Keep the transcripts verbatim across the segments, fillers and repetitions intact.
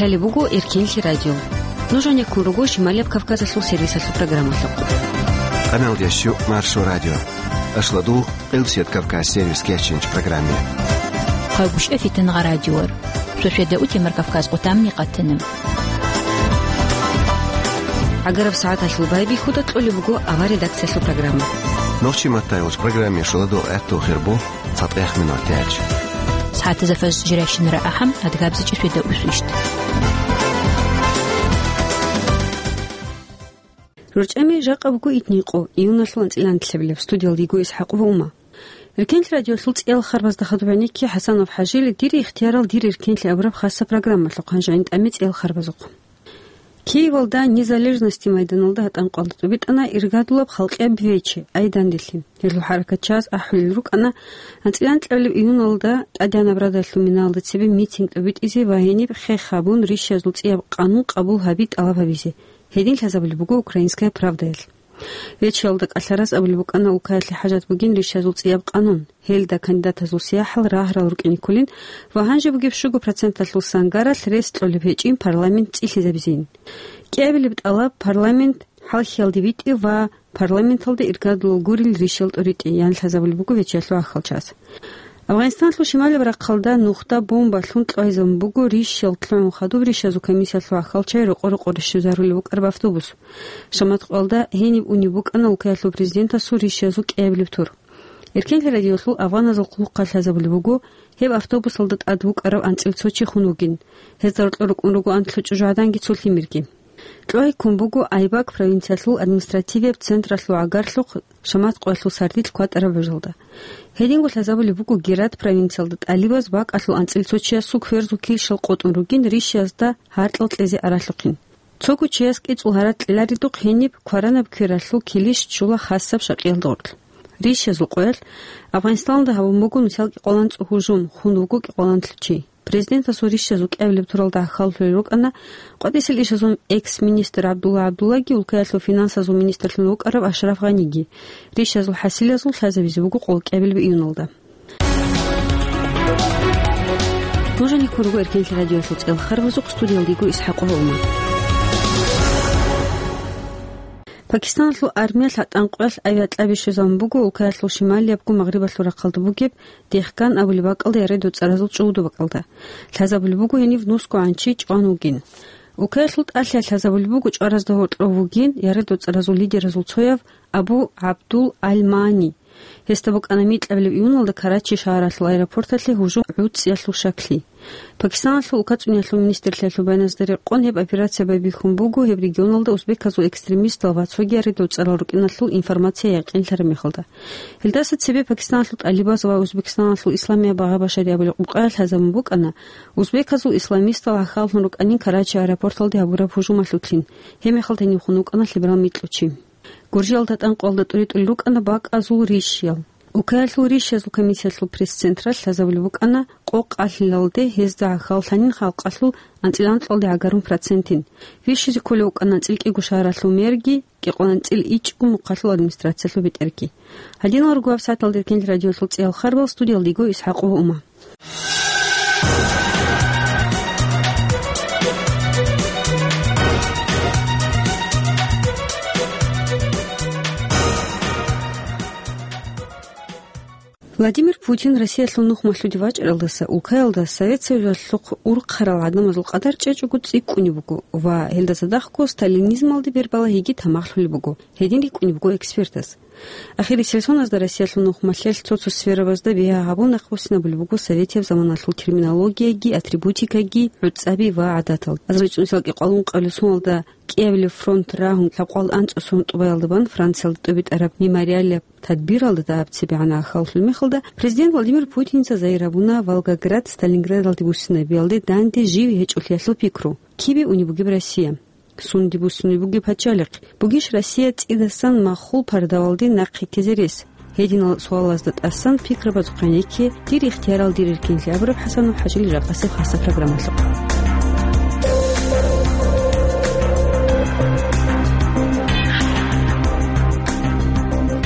Лъалеб буго Эркенлъи радио. Нуж гьанеккун руго Шималияб Кавказалъул сервисалъул программалъухъ. Къаналдящу Маршо радио. Ашладу Къилсият Кавказ сервис кеченч программе. Хъагушев Фитангъа радиор. Шошеда утемар Кавказ къутамни къатана. ГӀагараб сагӀаталъул байбихьуда кьолеб буго авар редакциялъул программа. Нохчи матаялъ программе шуладул гӀатту хирбу. ЦатӀех минутач. СагӀатазда фажр жирайщинара ахӀам, адгабзичӀи шведа усвищт. РорчӀами жакъа буго итникъо, июналъул анцӀила анлъабилеб, студиялда йиго ИсхӀакъ ва Ума. Эркенлъи радиолъул цӀиял харбазда хадуб гӀенекке ХӀасанов ХӀажили, «Дир ихтиярал дир эркенлъи» абураб хасаб программалъухъ, гьанже гӀин тӀаме цӀиял харбазухъ. Киевалда Незалежности майданалда гьатӀан къвалда тӀубитӀана иргадулаб халкъияб вече, Айданделъи. Гьелъул хӀаракатчияс ахӀулел рукӀана анцӀила анлъабилеб июналда тӀадегӀанаб радалъул минаялда цебе митинг тӀубитӀизе ва гьениб хех гьабун рищазул цӀияб къанун къабул гьаби тӀалаб гьабизе. Гьедин лъазабулеб буго «Украинская правдаялъ». Вечеялда кӀалъарас абулеб букӀана улкаялъе хӀажат бугин рищазул цӀияб къанун. Гьелда кандидатазул сияхӀал рагьарал рукӀине кколин ва гьанже бугеб щуго проценталъул сангаралъ рес кьолеб гьечӀин парламент цӀилъизабизин. КӀиабилеб тӀалаб парламент хӀалхьиялде битӀи ва парламенталда иргадулал гурел рищал тӀуритӀи, ян лъазабулеб буго вечеялъул ахӀалчияс. Афганистаналъул шималияб рахъалда нухда бомба лъун кьвайзабун буго рищал лъугӀун хадуб рищазул комиссиялъул ахӀалчияй рокъо-рокъоре щвезарулеб букӀараб автобус. Шамат къвалда гьениб унеб букӀана улкаялъул президентасул рищазул кӀиабилеб тур. Эркенлъи радиолъул афганазул хъулухъалъ лъазабулеб буго, гьеб автобусалда тӀад вукӀарав анцӀил цо чи хун вугин. Гьезда рокьо рукӀун руго анлъго чӀужугӀаданги цо лъимерги. КьогӀи ккун буго Айбак провинциялъул административияб централъул гӀагарлъухъ Шамат къоялъул сардилъ кватӀараб гӀужалда. Гьединго лъазабулеб буго Герат провинциялда тӀалибаз бакӀалъул анцӀил цо чиясул кверзул килщал къотӀун ругин рищазда гьаркьал кьезе аралъухъин. Цого чияс кӀицӀул гьаракь кьеларидухъ гьениб кваранаб квералъул килищ чула хасаб шакъиялда гъорлъ. Рищазул къоялъ Афганистаналда гьабун буго нусал кӀикъоялда цо гьужум, хун вуго кӀикъоялда чи. Президентасул рищазул кӀиабилеб туралда гӀахьаллъулел рукӀана къватӀисел ишазул экс-министр ГӀабдулла ГӀабдуллаги улкаялъул финансазул министрлъун рукӀарав Ашраф Гъаниги. Рищазул хӀасилазул лъазабизе буго къолкӀиабилеб июналда. Нуж гьанеккун руго Эркенлъи радиолъул цӀиял харбазухъ, студиялда йиго ИсхӀакъ ва Ума. Пакистаналъул армиялъ гьатӀан къоялъ авиакьаби щвезабун буго улкаялъул шималиябго магърибалъул рахъалда бугеб Дехкан абулеб бакӀалда ярай доцӀаразул чӀугӀуду бакӀалда. Лъазабулеб буго гьенив нусго гӀанчи чӀван вугин. Улкаялъул тӀалъи лъазабулеб буго чӀваразда гьоркьов вугин ярай доцӀаразул лидеразул цояв Абу ГӀабдул Аль-Мани. Гьесда букӀана микьабилеб июналда Карачи шагьаралъул аэропорталъе гьужум гӀуцӀиялъул щаклъи. Пакистаналъул улкацӀуниялъул министрлъиялъул баяназда рекъон, гьеб операция байбихьун буго гьеб регионалда узбеказул экстремистал ва цоги ярай доцӀарал рукӀиналъул информация якъинлъараб мехалда. Гьелдаса цебе Пакистаналъул тӀалибаз ва Узбекистаналъул Исламияб багъа-башари абулеб къукъаялъ лъазабун букӀана узбеказул исламистал гӀахьаллъун рукӀанин Карачи аэропорталде гьабураб гьужумалъулъин, гьеб мехалда гьенив хун вукӀана лъеберал микьучи. Гуржиялда гьатӀан къоялда тӀуритӀулел рукӀана бакӀазул рищал. Улкаялъул рищазул комиссиялъул пресс-централъ лъазабулеб букӀана къокъ алъилалде гьезда гӀахьаллъанин халкъалъул анцӀила анкьалде гӀагарун процентин. Вищизе кколев вукӀана анцӀила кӀиго шагьаралъул мэрги, кӀикъоялда анцӀила ичӀго мухъалъул администрациялъул бетӀерги. Гьадинал руго гьаб сагӀаталда Эркенлъи радиолъул цӀиял харбал, студиялда йиго ИсхӀакъ ва Ума. Владимир Путин Россиялъул нухмалъуде вачӀаралдаса улкаялда Совет Союзалъухъ урхъарал гӀадамазул къадар чӀечӀого цӀикӀкӀунеб буго ва гьелда цадахъго сталинизмалде бербалагьиги тамахлъулеб буго, гьедин рикӀкӀунеб буго экспертаз. Ахирисел соназда Россиялъул нухмалъелъ цо-цо сферабазда бигьа гьабун нахъбуссинабулеб буго советияб заманалъул терминологияги, атрибутикаги, гӀуцӀаби ва гӀадатал. АзарилчӀунсал кӀикъоялда ункъабилеб соналда кӀиабилеб фронт рагьун лъабкъоялда анцӀцӀасул тӀубаялда бан Франциялда тӀубитӀараб мемориалияб тадбиралда дагьаб цебегӀан гӀахьаллъулеб мехалда, президент Владимир Путинца загьир гьабуна Волгоград, Сталинградалде буссинабиялде данде жив гьечӀолъиялъул пикру: кибе унеб бугеб Россия? Сунде буссунеб бугеб пачалихъ? Бугищ Россия цӀидасан махул пардавалде нахъе ккезе рес? Гьединал суалазда тӀасан пикрабазухъ гьанекке, дир ихтиярал дир эркенлъи абураб ХӀасанов ХӀажил жакъасеб хасаб программалъухъ.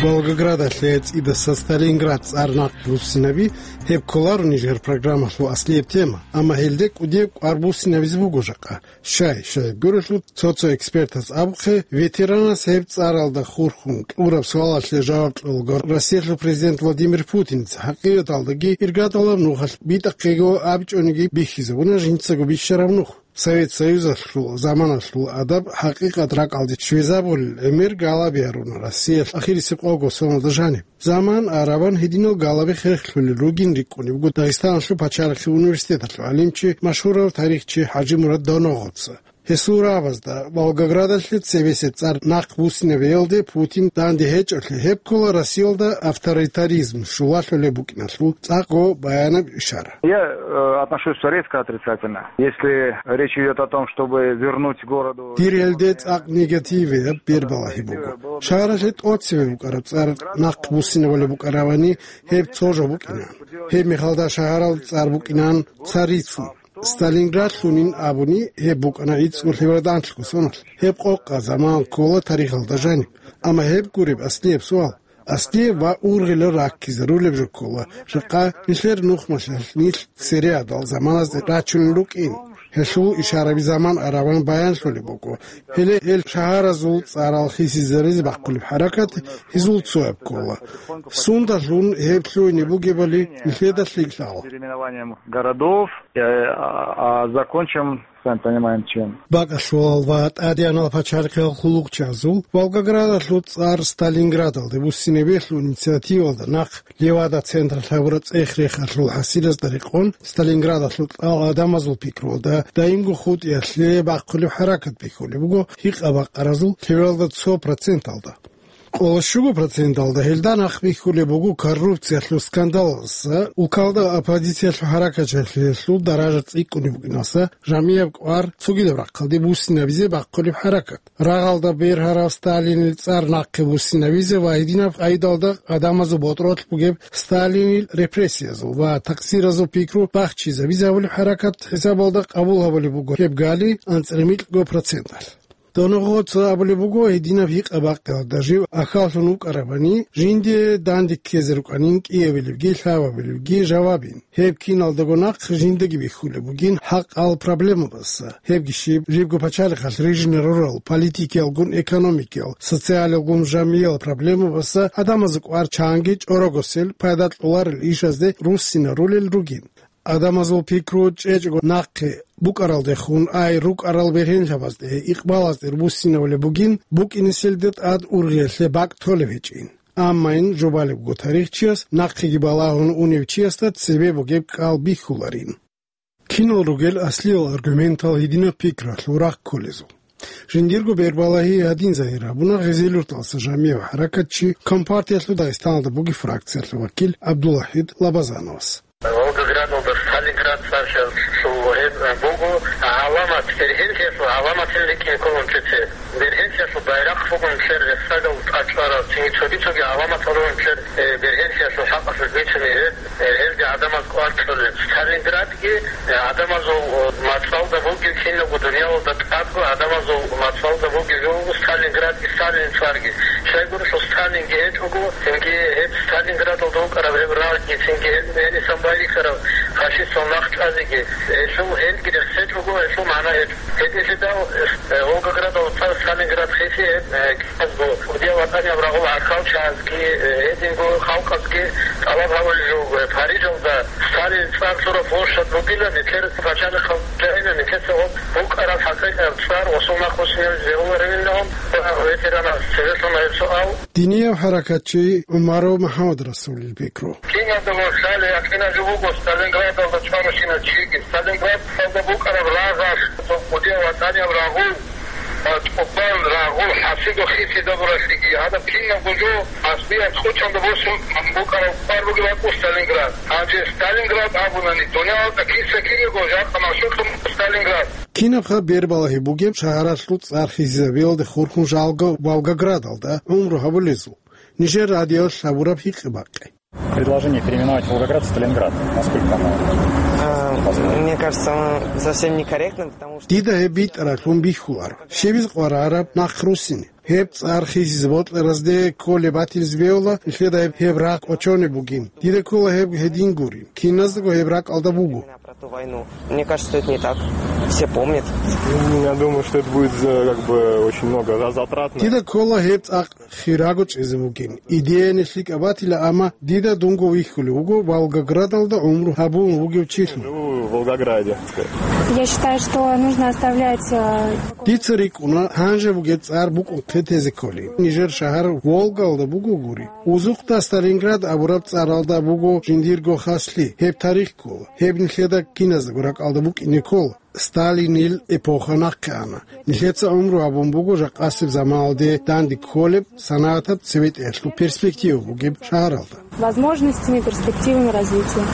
Волгоградалъе цӀидаса Сталинград цӀар нахъ буссинаби, гьеб кколаро нижер программалъул аслияб тема, амма гьелде кӀудияб кӀвар буссинабизе буго жакъа. Щай, щай гурелъул цо-цо экспертаз абухъе, ветеранас гьеб цӀаралда хурхун кьураб суалалъе жаваб кьолаго Россиялъул президент Владимир Путиница, хӀакъикъаталдаги иргадалаб нухалъ битӀахъего абичӀониги бихьизабуна жинцаго бищараб нух. Совет Союзалъул заманалъул адаб хӀакъикъат ракӀалде щвезабулел гӀемер галаби гьаруна Россиялъ ахирисеб къого соналда жаниб. Заман арабан гьединал галаби херхлъулел ругин рикӀкӀунеб буго Дагъистаналъул пачалихъе университеталъул гӀалимчи, машгьурав тарихчи ХӀажимурад Доногъоца. Гьесул рагӀабазда Волгоградалъе цебесеб цӀар нахъ буссинабиялде Путин данде гьечӀолъи гьеб ккола Россиялда авторитаризм щулалъулеб букӀиналъул цӀакъго баянаб ишара. Я, э, отношусь резко отрицательно. Если речь идёт о том, чтобы вернуть городу... Дир гьелде цӀакъ негативияб бербалагьи буго. Шагьаралъе тӀоцеве букӀараб цӀар нахъ буссинабулеб букӀаравани, гьеб цо жо букӀина. Гьеб мехалда шагьаралда цӀар букӀинан Царицын. Сталинград лъунин абуни, гьеб букӀана гӀицӀго лъебералда анлъго соналъ. Гьеб къокъа заман ккола тарихалда жаниб. Амма гьеб гуреб аслияб суал. Аслияб ва ургъилаб раккизарулеб жо ккола, жакъа нилъер нухмалъалъ нилъ цереадал заманазде рачунел рукӀин. Гьелъул ишараби заман араван баянлъулеб буго. Гьеле гьел шагьаразул цӀарал хисизаризе бахъулеб хӀаракат гьезул цояб ккола. Сундалъун гьеб лъугьине бугебали нилъеда лъикӀ лъала. Переименованием городов, э, а, а закончим, сами понимаем, чем. Бакалъулал ва тӀадегӀанал пачалихъал хъулухъчазул Волгоградалъул цӀар Сталинградалде буссинабиялъул инициативалда нахъ Левада централъ гьабураб цӀех-рехалъул хӀасилазда рекъон, Сталинградалъул кьал гӀадамазул пикруялда даимго хутӀиялъе бахъулеб хӀаракат бихьулеб буго гьикъа-бакъаразул лъебералда цо проценталда. Къоло щуго проценталда гьелда нахъ бихьулеб буго коррупциялъул скандалалдаса, улкалда оппозициялъул хӀаракатчагӀлъиялъул даража цӀикӀкӀунеб букӀиналдаса, жамияб кӀвар цогидаб рахъалде буссинабизе бахъулеб хӀаракат. Рагъалда бергьарав Сталинил цӀар нахъе буссинабизе ва гьединаб къайдалда гӀадамазул ботӀролъ бугеб Сталинил репрессиязул ва такъсиразул пикру бахчизабизе гьабулеб хӀаракат хӀисабалда къабул гьабулеб буго гьеб гали анцӀила микьго проценталъ. Доногъоца абулеб буго, гьединаб гьикъа-бакъиялда жив ахьаллъун вукӀарабани, жинде данде ккезе рукӀанин кӀиабилебги лъабабилебги жавабин. Гьеб киналдаго нахъ жиндаги бихьулеб бугин хӀакъал проблемабаса. Гьебги щиб, жибго пачалихъалъ рижине рурал политикиялгун, экономикиял, социалиялгун, жамиял проблемабаса гӀадамазул кӀвар чанги чӀорогосел, пайда кьоларел ишазде руссинарулел ругин. Гьадамазул пикру чӀечӀого нахъе букӀаралдехун, ай рукӀарал бергьенлъабазде, икъбалазде руссинавулеб бугин, букӀинеселда тӀад ургъиялъе бакӀ толеб гьечӀин. Амма ин жубалебго тарихчияс нахъеги балагьун унев чиясда цебе бугеб кӀал бихьуларин. Кинал ругел аслиял аргументал гьединаб пикралъул рахъ кколезул? Жиндирго бербалагьи гьадин загьир гьабуна Гъезелюрталса жамигӀ хӀаракатчи, Компартиялъул Дагъистаналда буги фракциялъул вакил ГӀабдулвахӀид Лабазановас. Волгоградалда Сталинград цӀар щас лъугьун буго, гӀаламат, бергьенлъиялъул гӀаламатин рикӀкӀин кколун чӀезе. Бергьенлъиялъул байрахъ бугун нилъер рехсагал тӀад чӀварав, цинги цоги-цоги гӀаламатал ругун нилъер, э, бергьенлъиялъул хӀакъалъулъ бицунеб гьеб, э, гьелде гӀадамаз кӀвар кьолеб. Сталинградги, э, гӀадамазул, э, мацӀалда бугеб, кинабго дуниялалда тӀадго гӀадамазул мацӀалда бугеб жо буго Сталинградги, Сталинил цӀарги. Щайгурелъул Сталинги гьечӀого, цинги гьеб Сталинградалда вукӀараб гьеб рагъги, цинги гьеб гьенисан байбихьараб фашистал нах чӀвазеги, гьелъул гьелги рехсечӀого, гьелъул магӀна гьечӀо. Гьединлъидал, э, Волгоградалда цӀар Сталинград хиси гьеб, э, кӀиязго, кӀудияв ватӀанияб рагъул гӀахьалчагӀазги, э, гьединго халкъазги тӀалаб гьабулеб жо буго, э, Парижалда Сталинил цӀар лъураб площадь бугила, нилъер пачалихъал жагьила, нилъеца гьеб букӀараб хӀакъикъияб цӀар, гьесул нахъ буссинабизе бегьуларевилан, ветеранас цебе лъуна гьеб суал. Динияб хӀаракатчи ГӀумаров МухӀаммадрасулил пикру. Киналдаго лъалеб якъинаб жо буго, Сталинградалда чӀваращинав чиги, Сталинградалда букӀараб рагъалъ, кӀудияв ватӀанияб рагъул, а, тӀубан рагъул хӀасидухъ хисизабуралъиги, гьадаб кинабго жо аслияб хъучӀалда босун букӀараб кӀвар бугеб бакӀу Сталинград. Гьанже Сталинград абунани, дуниялалда киса-кинего жакъа машгьурлъун Сталинград. Кинабха бербалагьи бугеб шагьаралъул цӀар хисизабиялде хурхун жалго Волгоградалда гӀумру гьабулезул? Нижер радиоялъ гьабураб гьикъи-бакъи. Предложение переименовать Волгоград в Сталинград. Насколько оно А, возможно? Мне кажется, оно совсем некорректно, потому что... Дида гьеб битӀаралъун бихьуларо. Щибиз къварараб нахъ руссине. Гьеб цӀар хисизе бокьаразде кколеб батилизе бегьула, нилъеда гьеб, гьеб рагъ кӀочонеб бугин. Дида ккола гьеб гьедин гурин. Киназдаго гьеб ракӀалда буго. Про ту войну. Мне кажется, это не так. Все помнят. Я думаю, что это будет, э, как бы, очень много за-, затратно. Дида ккола гьеб цӀакъ хираго чӀезе бугин. Идеяни лъикӀаб батила, амма дида дунго вихьулев вуго Волгоградалда гӀумру гьабун вугев чилъун. Живу в Волгограде. Я считаю, что нужно оставлять, э, Дица рикӀкӀуна, гьанже бугеб цӀар букӀунхъе тезе кколин. Нижер шагьар Волгалда буго гури. Узухъда Сталинград абураб цӀаралда буго жиндирго хаслъи, гьеб тарих ккола. Гьеб нилъеда киназдаго ракӀалда букӀине ккола. Сталинил эпоха нахъе ана. Нилъеца гӀумру гьабун буго жакъасеб заманалде данде кколеб, санагӀатаб цебетӀеялъул перспектива бугеб шагьаралда. Возможностями, перспективами развития.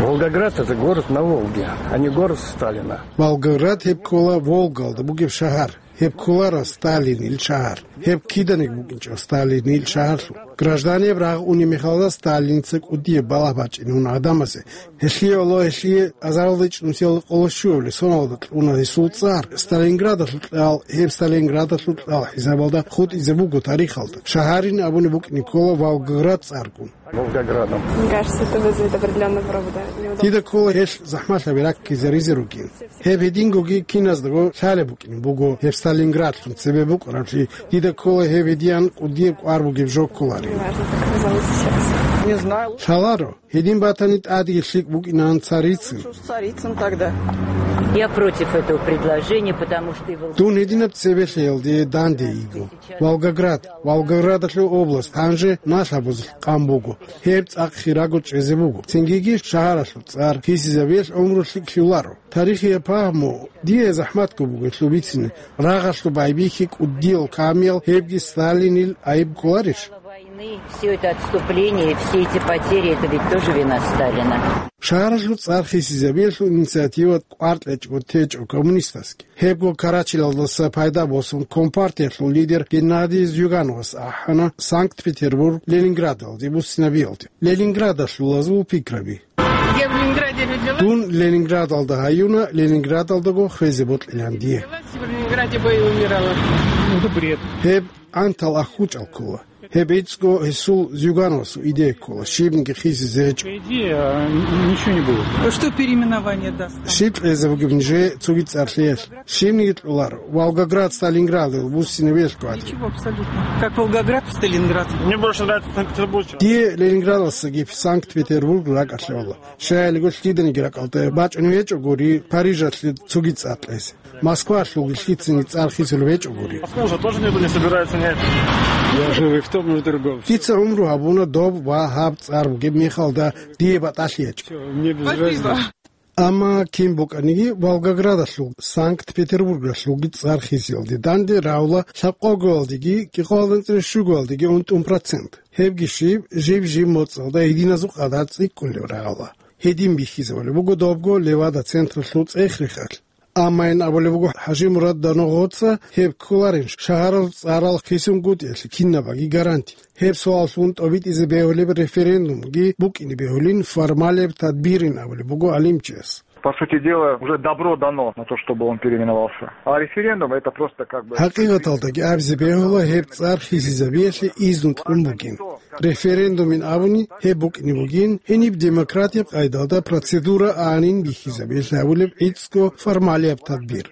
Волгоград — это город на Волге, а не город Сталина. Волгоград гьеб ккола Волгалда бугеб шагьар. Гьеб кколаро Сталинил шагьар. Гьеб киданиги букӀинчӀо Сталинил шагьарлъун. Гражданияб рагъ унеб мехалда Сталинца кӀудияб балагь бачӀине уна гӀадамазе. Гьелъие гӀоло гьелъие азаралда ичӀнусиялда къоло щуабилеб соналда кьуна гьесул цӀар. Сталинградалъул кьал, гьеб Сталинградалъул кьал хӀисабалда хутӀизе буго тарихалда. Шагьарин абуни букӀине ккола Волгоград цӀаргун. Волгоградом. Мне кажется, это вызовет определённые пробы, да, неудобства. Дида ккола гьелъ захӀмалъаби раккизаризе ругин. Гьеб гьедингоги киназдаго лъалеб букӀине буго гьеб Сталинградлъун цебе букӀараблъи. Дида ккола гьеб гьедиян кӀудияб кӀвар бугеб жо кколарин. Неважно, как назовут сейчас. Не знаю. Лъаларо, гьедин батани тӀадеги лъикӀ букӀинаан царицин. Лучше уж царицын тогда. Я против этого предложения, потому что и Волгоград... Дун гьединаб цебе лъеялде данде йиго. Волгоград, Волгоградалъул область гьанже налъабазулъ къан буго. Гьеб цӀакъ хираго чӀезе буго. Цингиги шагьаралъул цӀар хисизабиялъ гӀумру лъикӀлъуларо. Тарихияб пагьму дие захӀматго буго гьелъул бицине. Рагъалъул байбихьи кӀудиял камиял гьебги Сталинил айиб кколарищ? Войны, всё это отступление, все эти потери, это ведь тоже вина Сталина. Шагьаралъул цӀар хисизабиялъул инициатива кӀвар кьечӀого течӀо коммунистасги. Гьебго Карачилалдаса пайда босун компартиялъул лидер Геннадий Зюгановас ахӀана Санкт-Петербург Ленинградалде буссинабиялде. Ленинградалъулазул пикраби. Я в Ленинграде родилась. Дун Ленинградалда гьаюна, Ленинградалдаго хвезе бокьилан дие. Родилась, в Ленинграде бы и умирала. Это бред. Гьеб гӀантал ахӀучӀал ккола. Гьеб гӀицӀго гьесул Зюгановасул идея ккола, щибниги хисизе гьечӀо. По идее, а, н-, ничего не будет. Что переименование даст? Щиб кьезе бугеб нижее цоги цӀар лъеялъ? Щибниги кьоларо, Волгоград Сталинградалъ буссинабиялъго гӀадин. Ничего абсолютно. Как Волгоград в Сталинград. Мне больше нравится Санкт-Петербург. Дие Ленинградалдасаги Санкт-Петербург ракӀалъе гьола. Щайилго лъиданиги ракӀалда бачӀунеб гьечӀо гури Парижалъе цоги цӀар кьезе. Москвалъулги лъицаниги цӀар хисулеб гьечӀо гури. Москву уже тоже никто не собирается менять. Я живу и в том, и в другом. Дица гӀумру гьабуна доб ва гьаб цӀар бугеб мехалда, дие батӀалъи гьечӀо. Всё, мне без разницы. Амма кин букӀаниги, Волгоградалъул, Санкт-Петербургалъулги цӀар хисиялде данде равла лъабкъогоялдеги кӀикъоялда анцӀила щугоялдеги унтӀун процент. Гьебги щиб, жиб-жиб моцӀалда гьединазул къадар цӀикӀкӀунеб рагӀула. Гьедин бихьизабулеб буго добго Левада централъул цӀех-рехалъ. Амма ин абулеб буго ХӀажимурад Даногъоца, гьеб кколарин шагьарал цӀарал хисунгутӀиялъе кинабаги гаранти. Гьеб суаллъун тӀобитӀизе бегьулеб референдумги букӀине бегьулин формалияб тадбирин абулеб буго гӀалимчияс. По сути дела, уже добро дано на то, чтобы он переименовался. А референдум — это просто как бы... ХӀакъикъаталдаги абизе бегьула гьеб цӀар хисизабиялъе изну кьун бугин. Референдумин абуни гьеб букӀине бугин, гьениб демократияб къайдалда процедура гӀанин бихьизабиялъе гьабулеб гӀицӀго формалияб тадбир.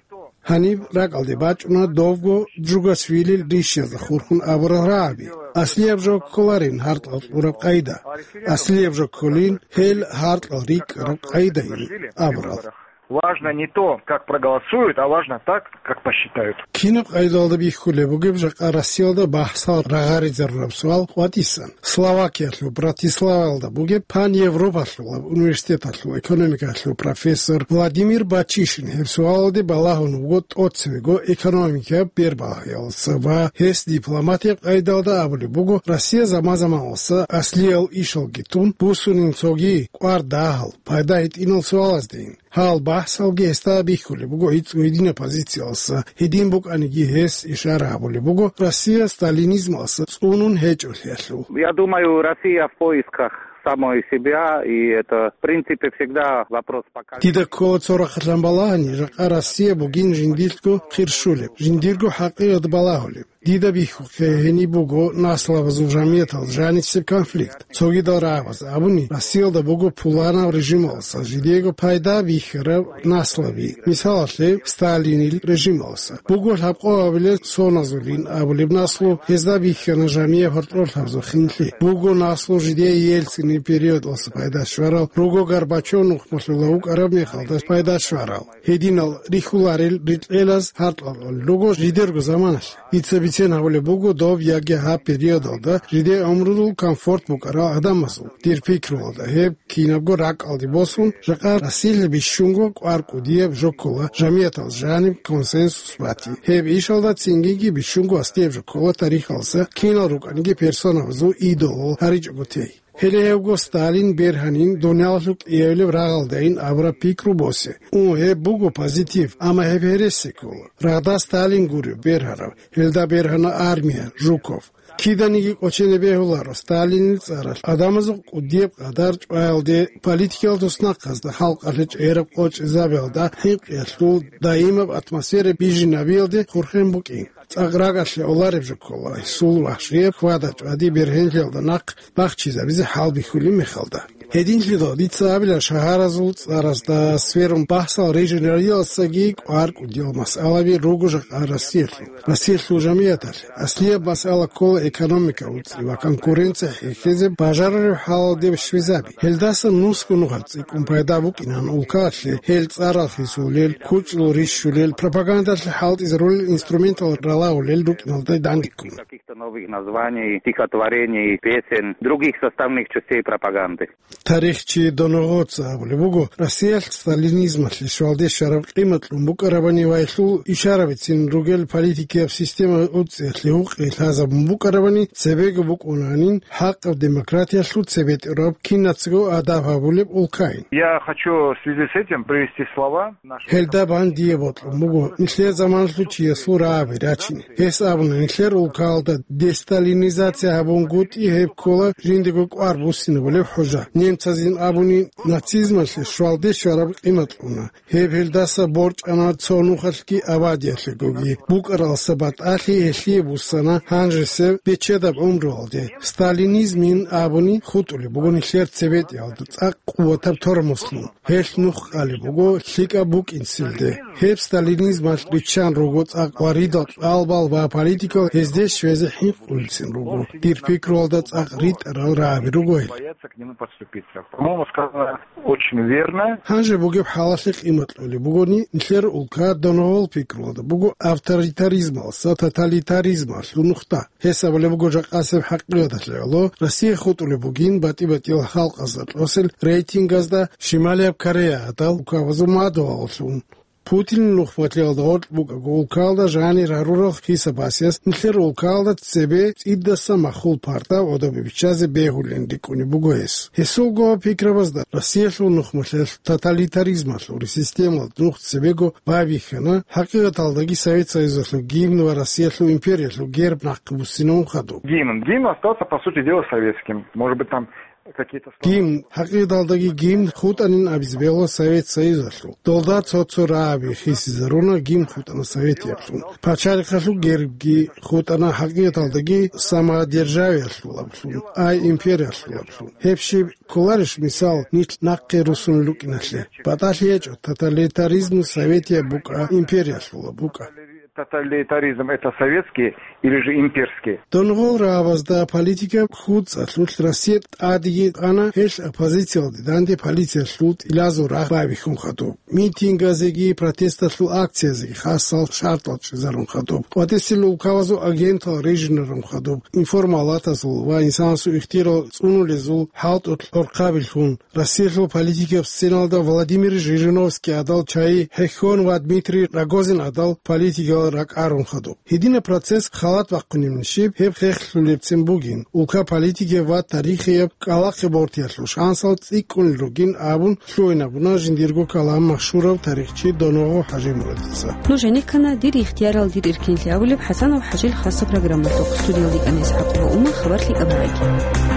Гьаниб ракӀалде бачӀуна довго Джугашвилил ришязда хурхун абурал рагӀаби. Аслияб жо кколарин гьаркьал кьураб къайда. Аслияб жо кколин гьел гьаркьал рикӀкӀараб къайдайин абурал. Важно не то, как проголосуют, а важно так, как посчитают. Кинаб къайдалда бихьулеб бугеб жакъа Россиялда бахӀсал рагъаризарураб суал къватӀисан. Словакиялъул Братиславалда бугеб паневропалъулаб университеталъул экономикалъул профессор Владимир Бачишин гьеб суалалде балагьун вуго тӀоцевего экономикияб бербагьиялдаса ва гьес дипломатияб къайдалда абулеб буго, Россия заман-заманалса аслиял ишалги тун буссунин цоги кӀвар дагьал, пайда гьитӀинал суалаздейин. Гьал бахӀсалги гьесда бихьулеб буго гӀицӀго гьединаб позициялдаса, гьедин букӀаниги гьес ишара гьабулеб буго Россия сталинизмалдаса цӀунун гьечӀолъиялъул. Я думаю, Россия в поисках самой себя, и это, в принципе, всегда вопрос поколения. Дида ккола цо рахъалъан балагьани, жакъа Россия бугин жиндилъго хирщулеб, жиндирго хӀакъикъат балагьулеб. Дида бихьухъе гьениб буго наслабазул жамиятал жанисеб конфликт. Цогидал рагӀабаз абуни, Россиялда буго пуланаб режималдаса жидеего пайда бихьараб наслаби. Мисалалъе, Сталинил режималдаса буго лъабкъоабилел соназулин абулеб наслу, гьезда бихьана жамияб гьоркьорлъабазул хинлъи. Буго наслу жидее Ельцинил периодалдаса пайда щварал, руго Горбачев нухмалъула вукӀараб мехалда пайда щварал. Гьединал рихьуларел рикьелаз гьаркьалъулел руго жидерго заманалъ. Дица бицен гьабулеб буго доб яги гьаб периодалда жидер гӀумрудул комфорт букӀарал гӀадамазул. Дир пикруялда, гьеб кинабго ракӀалде босун, жакъа Россиялъ бищунго кӀвар кӀудияб жо ккола жамиятал жаниб консенсус бати. Гьеб ишалда цинги бищунго аскӀоб жо ккола тарихалдаса кинал рукӀаниги персонабазул идолал гьаричӀого тей. Гьеле гьевго Сталин бергьанин, дуниялалъул кӀиявилеб рагъалдайин абураб пикру босе. Ун, гьеб буго позитив, амма гьеб гьереси ккола. Рагъда Сталин гуреб бергьарав, гьелда бергьана армия, Жуков. Киданиги кӀочене бегьуларо Сталинил цӀаралъ гӀадамазул кӀудияб къадар чӀваялде, политикиял туснахъазда, халкъалъе чӀераб къочӀизабиялда, хӀинкъиялъул даимаб атмосфера бижинабиялде хурхен букӀин. ЦӀакъ ракӀалъе олареб жо ккола гьесул вахшияб хьвада-чӀвади бергьенлъиялда нахъ бахчизабизе хӀалбихьулеб мехалда. Гьединлъидал дица абила шагьаразул цӀаразда сверун бахсал рижинарилалсаги кӀвар кӀудиял масъалаби руго жакъа Россиялъул. Россиялъул жамияталъе аслияб масъала ккола экономика уцӀи ва конкуренция хӀехьезе бажарареб хӀалалде щвезаби. Гьелдасан нусго нухалъ цӀикӀкӀун пайда букӀинан улкаялъе гьел цӀарал хисулел, кучӀдул рищулел, пропагандалъе хӀалтӀизарулел инструментал ралагьулел рукӀиналда дандеккун. Каких-то новых названий, стихотворений, песен, других составных частей пропаганды. Тарихчи Доногъоца абулеб буго, Россиялъ сталинизмалъе щвалде щвараб къимат кьун букӀарабани ва гьелъул ишарабицин ругел политикияб система уцӀиялъе гьукъи лъазабун букӀарабани, цебего букӀунанин хӀакъаб демократиялъул цебетӀераб кинацаго адаб гьабулеб улкайин. Я хочу в связи с этим привести слова нашего Гьелда бан дие бокьун буго нилъер заманалъул чиясул рагӀаби рачине. Гьес абуна, нилъер улкаялда десталинизация гьабунгутӀи гьеб ккола жиндего кӀвар буссинабулеб хӀужа. Немцазин абуни, нацизмалъе щвалде щвараб къимат кьуна. Гьеб гьелдаса борчӀана цо нухалъги абадиялъегоги. БукӀаралдаса батӀалъи гьелъие буссана гьанжесеб бечедаб гӀумруялде. Сталинизмин абуни хутӀулеб буго нилъер цебетӀиялда цӀакъ къуватаб тормозлъун. Гьелъ нух къалеб буго лъикӀаб букӀинцилде. Гьеб сталинизмалъ риччан руго цӀакъ ва ридал кьалбал ва политикал гьезде щвезе хӀинкъулцин руго. Дир пикруялда цӀакъ ритӀарал рагӀаби руго гьел. Боятся к нему подступиться. По-моему, сказано очень верно. Гьанже бугеб хӀалалъе къимат кьолеб бугони, нилъер улка доногъол пикруялда буго авторитаризмалса тоталитаризмалъул нухда. Гьес абулеб буго жакъасеб хӀакъикъаталъе гӀоло, Россия хутӀулеб бугин батӀи-батӀиял халкъазда тӀосел рейтингазда Шималияб Корея гӀадал улкабазул мадугьаллъун. Путинил нухмалъиялда гъоркь букӀаго улкаялда жанир гьарурал хисабасияс нилъер улкаялда цебе цӀидасан махул парта гӀодобе биччазе бегьулин рикӀкӀунеб буго гьес. Гьесулго пикрабазда Россиялъул нухмалъиялъ тоталитаризмалъул системалда нух цебего байбихьана, хӀакъикъаталдаги Совет Союзалъул гимн ва Россиялъул империялъул герб нахъе буссинавун хадуб. Гимн. Гимн остался, по сути дела, советским. Может быть, там какие-то слова. Гимн, хӀакъикъаталдаги гимн хутӀанин абизе бегьула Совет Союзалъул. Долда цо-цо рагӀаби хисизаруна, гимн хутӀана советияб. Пачалихъалъул гербги хутӀана, хӀакъикъаталдаги самодержавиялъулаблъун, ай империялъулаблъун. Гьеб щиб кколарищ, мисал, нилъ нахъе руссун рукӀиналъе? БатӀалъи гьечӀо, тоталитаризм советияб букӀа, империялъула букӀа. Тоталитаризм — это советский или же имперский? Донгъол рагӀабазда политика куцӀалъулъ Россия тӀадеги къана, гьелъ оппозициялде данде полициялъул тӀилазул рагъ байбихьун хадуб. Митингазеги протесталъул акциязеги хасал шартӀал чӀезарун хадуб. КъватӀисел улкабазул агентал режинарун хадуб. Информалатазул ва инсанасул ихтияр цӀунулезул хӀалтӀулъ гӀорхъабилъун. Россиялъул политикаб сценалда Владимир Жириновский гӀадал чагӀи хӀехьон ва Дмитрий Рогозин гӀадал политикал ракӀарун хадуб. Гьединаб процесс халат бахъунеб нижиб, гьеб хехлъулебцин бугин. Улка политикияб ва тарихияб кӀкӀалахъе бортиялъул шансал цӀикӀкӀунел ругин абун лъугӀинабуна жиндирго калам машгьурав тарихчи Доногъо ХӀажимурадица. Нуж гӀенеккана «Дир ихтиярал, дир эркенлъи» абулеб ХӀасанов ХӀажил хасаб программалъухъ. Студиялда икӀана ИсхӀакъова Умар, хабар лъикӀаб гьареги.